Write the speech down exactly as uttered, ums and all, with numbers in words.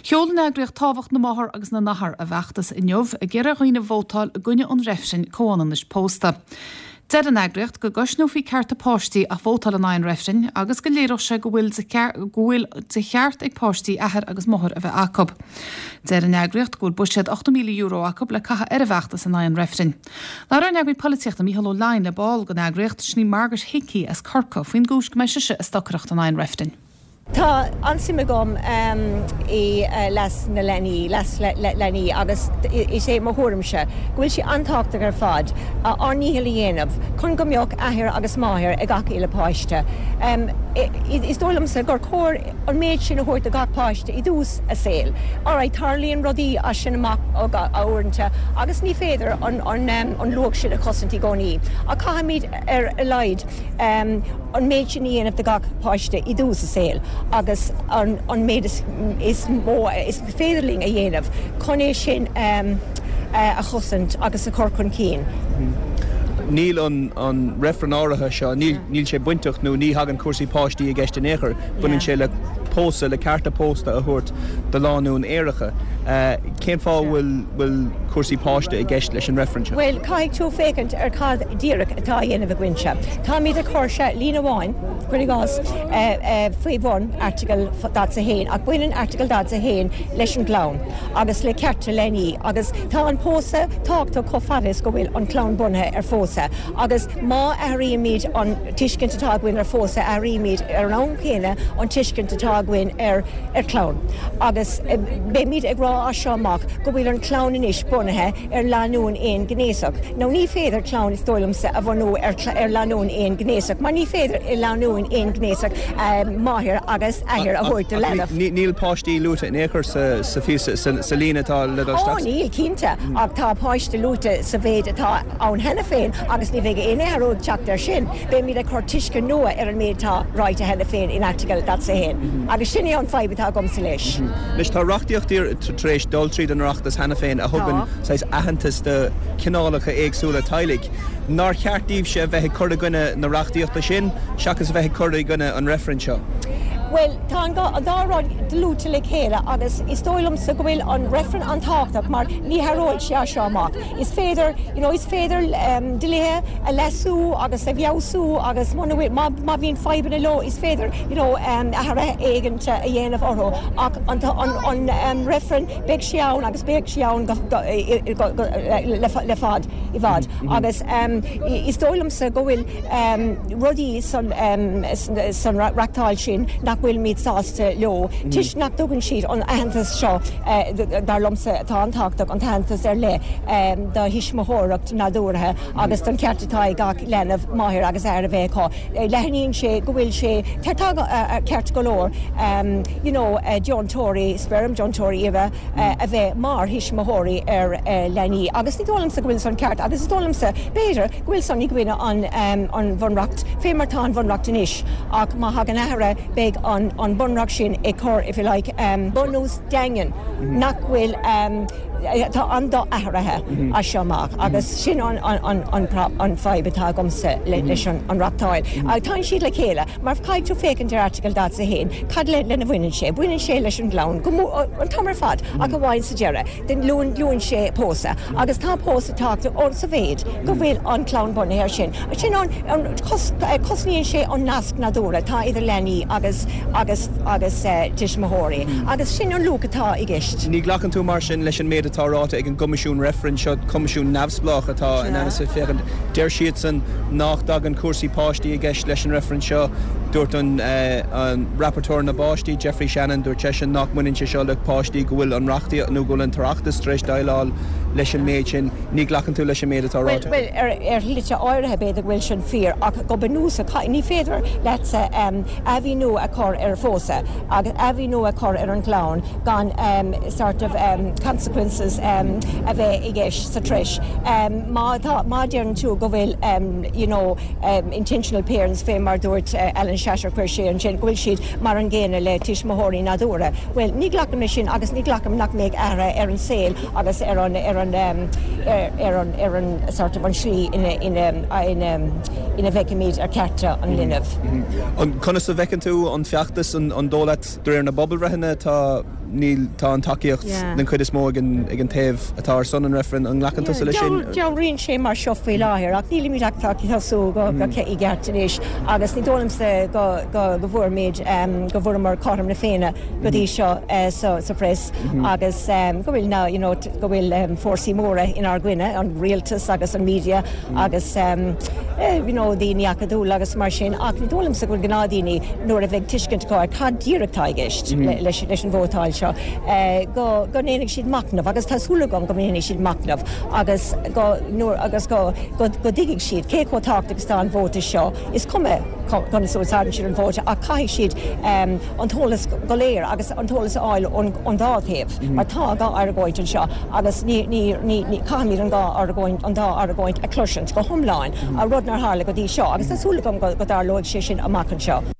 Sheol an eagraíocht Tábhacht na Máthar agus na nAthar a bhfeachtas inniu ag iarraidh ar dhaoine vótáil i gcoinne an reifrinn comhionannais pósta. Deir an eagraíocht go gcosnófaí cearta páistí ach vótáil in aghaidh an reifrinn agus go léireodh sé go bhfuil go bhfuil de cheart ag páistí athair agus máthair a bheith acu. Deir an eagraíocht go bhfuil buiséad ocht míle euro acu le caitheamh ar an bhfeachtas in aghaidh an reifrinn. Labhair ár n-eagraí polaitíochta Mícheál Ó Leidhin le ball den eagraíocht sin í Margaret Hickey as Corcaigh faoin gcúis go mbeidh sise ag stocaireacht in aghaidh an reifrinn. Tá an-suim agam um, i uh, leas na leanaí leas le, le, leanaí agus is é mo thuairimse go bhfuil sé an-tábhachtach ar fad ár ndícheall a dhéanamh chun go mbeadh athair agus máthair ag gach uile páiste. Um, is dóigh liomsa gur chóir an méid sin a thabhairt do gach páiste i dtús a saoil. Alright tarlaíonn rudaí as sin amach uaireanta agus ní féidir an, an, um, an luach sin a chosaint i gcónaí. A caithfimid ar a laghad um, an méid sin a dhéanamh do gach páiste i dtús a saoil. agus an, an méid is, is mó is féidir linn a dhéanamh chun é sin um, a chosaint agus a chur chun cinn. Níl an, an reifreann áirithe seo, níl, níl sé bainteach nó ní thagann cúrsaí páistí i gceist in aon chor, baineann sé le pósadh le cearta pósta a thabhairt do lánúin aeracha. Uh, cén fáth bhfuil bhfuil cúrsaí páiste i gceist leis an reifreann seo? Well caithfidh tú féachaint ar cad díreach atá á dhéanamh againne. Táimid ag cur sé líne amháin cuir i gcás faoi bhun Airteagal daichead a haon ach baineann Airteagal daichead a haon leis an gclann agus le cearta leanaí agus tá an pósadh tábhachtach chomh fada is go bhfuil an chlann bunaithe ar phósadh agus má athraímid an tuiscint atá againn ar phósadh athraímid ar an am céanna an tuiscint atá againn ar ar chlann. agus beimid ag rá as seo amach go bhfuil an chlann anois bunaithe ar lánúin aonghnéasach. Nó ní féidir clann is dóigh liomsa a bhunú ar, ar lánúin aonghnéasach, mar ní féidir i lánúin aonghnéasach máthair agus athair a thabhairt do leanbh. Níl páistí luaite in aon chor sa sa líne atá le Ó níl cinnte ach tá páiste luaite sa mhéid atá ann cheana féin agus ní bheidh aon athrú ag teacht air sin. Beimid ag cur tuiscint nua ar an méid atá ráite cheana féin in Airteagal daichead a haon. Agus sin é an fadhb atá agamsa leis. Leis tá reachtaíocht tar éis dul tríd an Oireachtas cheana féin a thugann aitheantas do chineálacha éagsúla teaghlaigh. Nár cheart daoibhse a bheith ag cur i gcoinne na reachtaíochta sin seachas a bheith ag cur i gcoinne an reifrinn seo. Well tá an dá rud dlúite le chéile agus is dóigh liomsa go bhfuil an reifreann an-tábhachtach mar ní hathróidh sé seo amach. Is féidir you know, is féidir um, dlíthe a leasú agus a fheabhsú agus má bhíonn fadhbanna leo is féidir you know, um, athruithe éigin a dhéanamh orthu ach an, an, an um, reifreann beidh sé ann agus beidh sé ann le, le fad i bhfad mm -hmm. agus um, is dóigh liomsa go bhfuil um, rudaí san, um, san reachtaíocht sin nach bhfuilimid sásta leo. Mm. Toisc nach dtugann siad an aitheantas seo uh, dar liomsa atá an-tábhachtach an t-aitheantas ar leith um, do thuismitheoireacht nádúrtha agus don ceart atá ag gach leanbh máthair agus athair a bheith acu. Leathnaíonn sé go bhfuil sé tá uh, ceart go leor um, you know, uh, deontóirí speirm deontóirí uibhe uh, a bheith mar thuismitheoirí ar uh, leanaí agus ní dóigh liomsa go bhfuil san ceart agus is dóigh liomsa b'fhéidir go bhfuil san i gcoinne an, um, an bhunreacht fé mar tá an bhunreacht anois ach má thagann athruithe beidh an, an bunreacht sin ag cur if you like um, bunús daingean mm -hmm. nach bhfuil um, tá an do-athraithe mm -hmm. as seo amach agus sin an, an, an, an, an fadhb atá agamsa le, leis an, an reachtaíocht. Mm -hmm. Tá siad le chéile, mar caithfidh tú féachaint ar Airteagal daichead a haon, cad le lena bhaineann sé, baineann sé leis an gclann go an t-am ar fad ach amháin sa deireadh, den luann luann sé pósadh agus tá pósadh tábhachtach sa mhéid go bhfuil an chlann bunaithe air sin. Sin an, an cos, cosnaíonn sé an nasc nádúrtha atá idir leanaí agus agus agus uh, tuismitheoirí agus sin an luach atá i gceist. Ní ghlacann tú mar sin leis an méid atá ráite ag an gCoimisiún Reifrinn seo coimisiún neamhspleách atá in ainm is féachaint deir siadsan nach dtagann cúrsaí páistí i gceist leis an reifreann seo dúirt an, uh, an rapporteur na bpáistí Geoffrey Shannon dúirt seisean nach mbaineann sé seo le páistí go bhfuil an reachtaíocht nó go bhfuil an tOireachtas tar éis déileáil leis an méid sin ní ghlacann tú leis an méid atá ráite. Well, ar ar shlite áirithe b'fhéidir go bhfuil sin fíor ach go bunúsach ní féidir leatsa um, athbhreithniú a chur ar phósadh agus athbhreithniú a chur ar an gclann gan um, sort of um, consequences um, a bheith i gceist sa treis. Um, má tá má deireann tú go bhfuil um, you know, um, intentional parents fé mar dúirt uh, Alan Shatter chuir sé ansin go bhfuil siad mar an gcéanna le tuismitheoirí nádúrtha. Well, ní ghlacaim leis sin agus ní ghlacaim nach mbeidh athruithe ar an saol agus ar an ar an um, ar, ar an ar an sort of an slí ina ina ina ina bhfeicimid ar cearta an linbh. An conas a bhfeiceann tú an feachtas an, an dóigh leat de réir na pobalbhreitheanna tá níl tá an tacaíocht den chuid is mó ag an ag an taobh atá ar son an reifrinn an nglacann tusa leis sin? Dealraíonn sé mar seo faoi láthair ach nílimid ach ag tosú go go i gceart anois agus ní dóigh liomsa go go go bhfuair go bhfuaireamar cothrom na Féinne go dtí seo sa sa press agus go bhfuil na you know go bhfuil fórsaí móra inár gcoinne an rialtas agus an media agus you know daoine acadúla agus mar sin ach ní dóigh liomsa go bhfuil gnáthdhaoine nuair a bheidh tuiscint acu ar cad díreach atá i gceist leis leis an vótáil seo go go ndéanfaidh siad machnamh agus tá súil agam go ndéanfaidh siad machnamh agus go nuair agus go go go dtuigfidh siad cé chomh tábhachtach is atá an vóta seo is cuma conas a úsáideann siad an vóta ach caithfidh siad an t-eolas go léir agus an t-eolas a fháil ón dá thaobh mar tá dhá argóint anseo agus ní ní ní ní caithfimid an dá argóint an dá argóint a chloisint go hiomlán a rud nár tharla go dtí seo agus tá súil agam go go dtarlóidh sé sin amach anseo.